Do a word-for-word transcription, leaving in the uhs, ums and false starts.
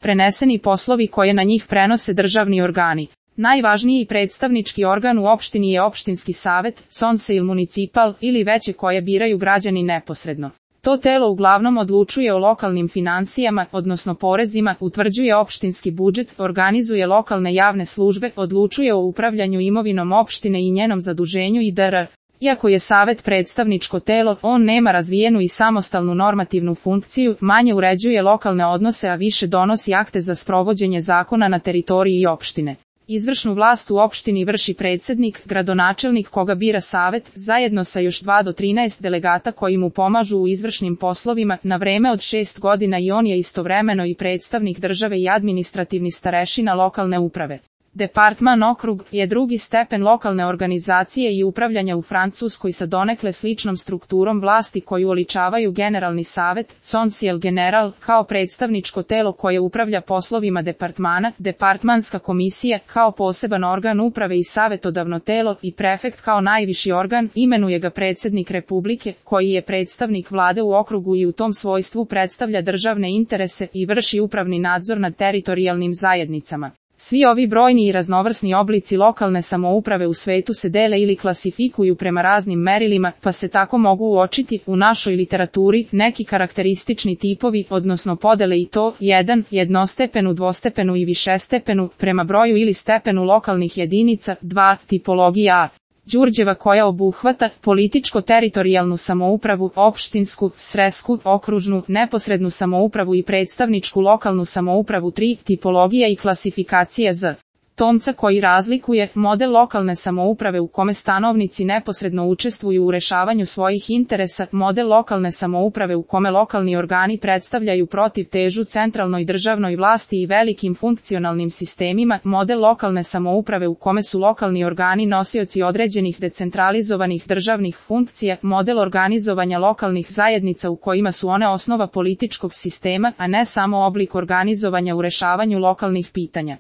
preneseni poslovi koje na njih prenose državni organi. Najvažniji predstavnički organ u opštini je opštinski savet, conseil municipal ili veće koje biraju građani neposredno. To telo uglavnom odlučuje o lokalnim finansijama, odnosno porezima, utvrđuje opštinski budžet, organizuje lokalne javne službe, odlučuje o upravljanju imovinom opštine i njenom zaduženju itd. Iako je savet predstavničko telo, on nema razvijenu i samostalnu normativnu funkciju, manje uređuje lokalne odnose, a više donosi akte za sprovođenje zakona na teritoriji opštine. Izvršnu vlast u opštini vrši predsednik, gradonačelnik koga bira savet, zajedno sa još dva do trinaest delegata koji mu pomažu u izvršnim poslovima, na vreme od šest godina i on je istovremeno i predstavnik države i administrativni starešina lokalne uprave. Departman okrug je drugi stepen lokalne organizacije i upravljanja u Francuskoj sa donekle sličnom strukturom vlasti koju oličavaju generalni savet, conseil general, kao predstavničko telo koje upravlja poslovima departmana, departmanska komisija kao poseban organ uprave i savetodavno telo i prefekt kao najviši organ, imenuje ga predsednik Republike, koji je predstavnik vlade u okrugu i u tom svojstvu predstavlja državne interese i vrši upravni nadzor nad teritorijalnim zajednicama. Svi ovi brojni i raznovrsni oblici lokalne samouprave u svetu se dele ili klasifikuju prema raznim merilima, pa se tako mogu uočiti u našoj literaturi neki karakteristični tipovi, odnosno podele i to jedan, jednostepenu, dvostepenu i višestepenu, prema broju ili stepenu lokalnih jedinica, dva, tipologija A. Đurđeva koja obuhvata političko-teritorijalnu samoupravu, opštinsku, sresku, okružnu, neposrednu samoupravu i predstavničku lokalnu samoupravu tri, tipologija i klasifikacija Z. Tomca koji razlikuje model lokalne samouprave u kome stanovnici neposredno učestvuju u rešavanju svojih interesa, model lokalne samouprave u kome lokalni organi predstavljaju protivtežu centralnoj državnoj vlasti i velikim funkcionalnim sistemima, model lokalne samouprave u kome su lokalni organi nosioci određenih decentralizovanih državnih funkcija, model organizovanja lokalnih zajednica u kojima su one osnova političkog sistema, a ne samo oblik organizovanja u rešavanju lokalnih pitanja.